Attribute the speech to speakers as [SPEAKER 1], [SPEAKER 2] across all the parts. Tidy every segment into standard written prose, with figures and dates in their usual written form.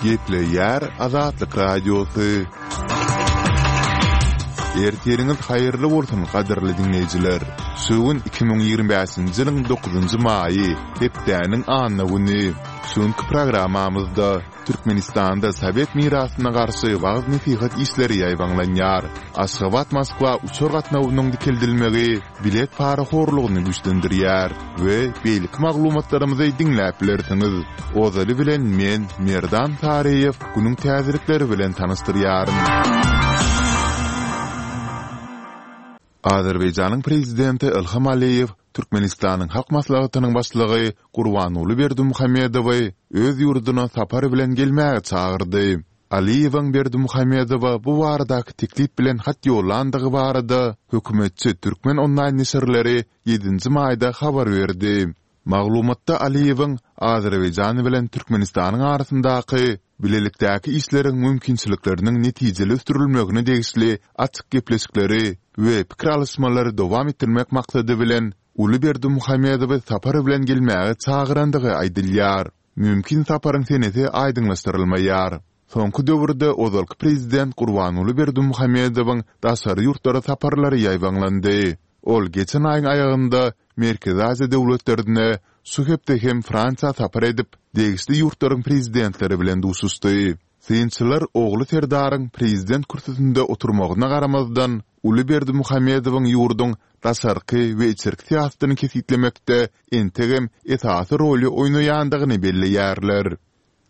[SPEAKER 1] Gepleýär Azatlyk Radiosy. Ertiriňiz haýyrly bolsun, gadyrly diňleýjiler! Şu gün 2025-nji ýylyň dokuzynjy maýy, hepdäniň anna güni. Şu günki programmamyzda Türkmenistanda sowet mirasyna garşy wagyz-nesihat işleri ýaýbaňlanýar. Aşgabat-Moskwa uçar gatnawynyň dikeldilmegi bilet parahorlugyny güýçlendirýär we beýleki maglumatlarymyzy diňläp bilersiňiz. Ozaly bilen men, Merdan Saryýew, günüň täzelikleri bilen tanyşdyrýaryn. Azerbaýjanyň Prezidenti Ilham Aliýew Türkmenistanyň Halk Maslahatynyň Başlygy Gurbanguly Berdimuhamedowy öz ýurduna sapar bilen gelmäge çagyrdy. Aliýewiň Berdimuhamedowa bu baradaky teklip bilen hat ýollandygy barada hökümetçi Türkmen onlaýn neşirleri ýedinji maýda habar berdi. Maglumatda Aliýewiň Azerbaýjan bilen Türkmenistanyň arasyndaky bilelikdäki işleriň mümkinçilikleriniň netijeli ösdürilmegine degişli açyk gepleşikleri we pikir alyşmalary dowam etdirmek maksady bilen uly Berdimuhamedowy sapar bilen gelmäge çagyrandygy aýdylýar. Mümkin saparyň senesi aýdyňlaşdyrylmaýar. Soňky döwürde ozalky prezident Gurbanguly Berdimuhamedowyň daşary ýurtlara saparlary ýaýbaňlandy. Ol geçen aýyň aýagynda Merkezi Aziýa döwletlerine, şu hepde hem Fransiýa sapar edip, degişli ýurtlaryň prezidentleri bilen duşuşdy. Synçylar ogly Serdaryň prezident kürsüsinde oturmagyna garamazdan, uly Berdimuhamedowyň ýurduň daşarky we içerki syýasatyny kesgitlemekde entegem esasy roly oýnaýandygyny belleýärler.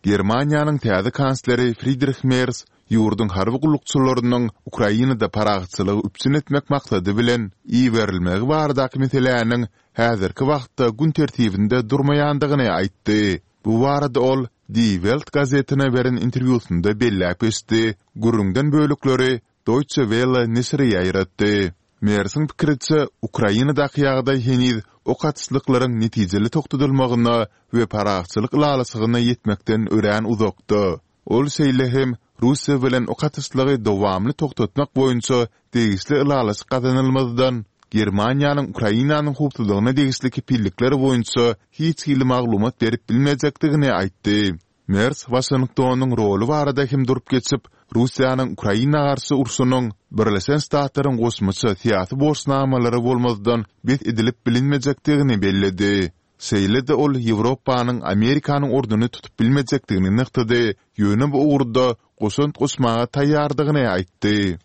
[SPEAKER 1] Germaniýanyň täze kansleri Fridrih Mers ýurduň harby gullukçylarynyň Ukrainada parahatçylygy üpjün etmek maksady bilen iberilmegi baradaky meseläniň häzirki wagtda gün tertibinde durmaýandygyny aýtdy. Bu barada ol Die Welt gazetine beren interwýusynda belläp geçdi, gürrüňden bölekleri Deutsche Welle neşiri ýaýratdy. Mersiň pikiriçe, Ukrainadaky ýagdaý heniz ok atyşlyklaryň netijeli togtadylmagyna we parahatçylyk ylalaşygyna ýetmekden örän uzakda. Ol şeýle hem Russiýa bilen ok atyşlygy dowamly togtatmak boýunça degişli ylalaşyk gazanylmazdan, Germaniýanyň Ukrainanyň howpsuzlygyna degişli kepillikler boýunça hiç hili maglumat berip bilmejekdigini aýtdy. Mers Waşingtonyň roly barada hem durup geçip, Russiýanyň Ukraina garşy urşunyň Birleşen Ştatlaryň goşmaça syýasy borçnamalary bolmazdan bes edilip bilinmejekdigini belledi. Şeýle-de ol Ýewropanyň Amerikanyň ornuny tutup bilmejekdigini nygtady, ýöne bu ugurda goşant goşmaga taýýardygyny aýtdy.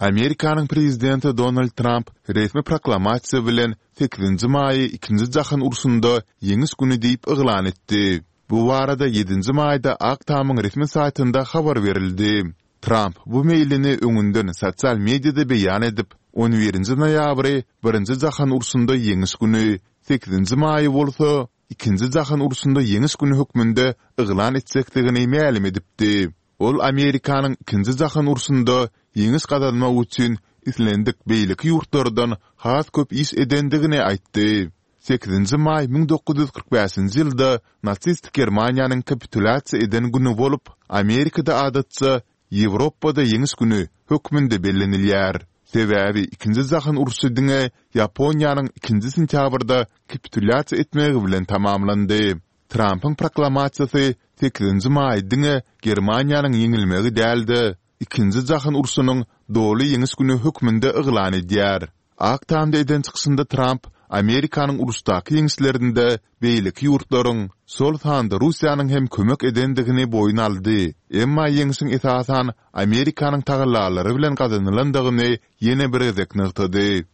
[SPEAKER 1] Amerikanyň prezidenti Donald Tramp resmi proklamasiýa bilen sekizinji maýy Ikinji jahan urşunda Ýeňiş güni diýip yglan etdi. Bu barada ýedinji maýda Ak tamyň resmi saýtynda habar berildi. Tramp bu meýlini öňünden sosial mediada beýan edip, on birinji noýabry Birinji jahan urşunda Ýeňiş güni, sekizinji maýy bolsa Ikinji jahan urşunda Ýeňiş güni hökmünde yglan etjekdigini mälim edipdi. Ol Amerikanyň Ikinji jahan urşunda ýeňiş gazanmak üçin islendik beýleki ýurtlardan has köp iş edendigini aýtdy. Sekizinji maý 1945-nji ýylda nasistik Germaniýanyň kapitulýasiýa eden güni bolup, Amerikada adatça Ýewropada Ýeňiş güni hökmünde bellenilýär. Sebäbi Ikinji jahan urşy diňe Ýaponiýanyň ikinji sentýabrda kapitulýasiýa etmegi bilen tamamlandy. Trampyň proklamasiýasy sekizinji maý diňe Germaniýanyň ýeňilmegi däl-de, Ikinji jahan urşunyň doly ýeňiş güni hökmünde yglan edýär. Ak Tamda eden çykyşynda Tramp Amerikanyň uruşdaky ýeňişlerinde beýleki ýurtlaryň, şol sanda Russiýanyň hem kömek edendigini boýun aldy, emma ýeňşiň esasan Amerikanyň tagallalary bilen gazanylandygyny ýene bir gezek nygtady.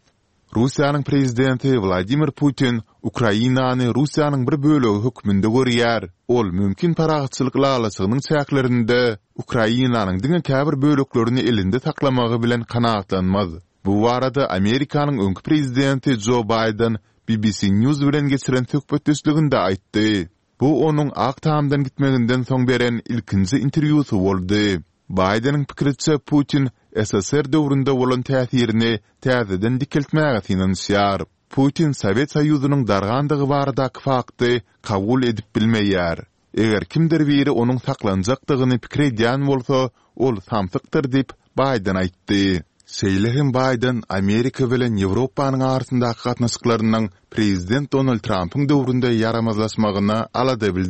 [SPEAKER 1] Russiýanyň prezidenti Wladimir Putin Ukrainany Russiýanyň bir bölegi hökmünde görýär, ol mümkin parahatçylyk ylalaşygynyň çäklerinde Ukrainanyň diňe käbir böleklerini elinde saklamagy bilen kanagatlanmaz. Bu barada Amerikanyň öňki prezidenti Jo Baýden BBC News bilen geçiren söhbetdeşliginde aýtdy. Bu onuň Ak Tamdan gitmeginden soň beren ilkinji interwýusy boldy. Baýdeniň pikiriçe, Putin SSR döwründe bolan täsirini täzeden dikeltmäge synanyşýar. Putin Sowet Soýuzynyň dargandygy baradaky fakty kabul edip bilmeýär. Eger kimdir biri onuň saklanjakdygyny pikir edýän bolsa, ol samsykdyr diýip, Baýden aýtdy. Şeýle hem Baýden Amerika bilen Ýewropanyň arasyndaky gatnaşyklarynyň prezident Donald Trampyň döwründe ýaramazlaşmagyna alada bildirdi.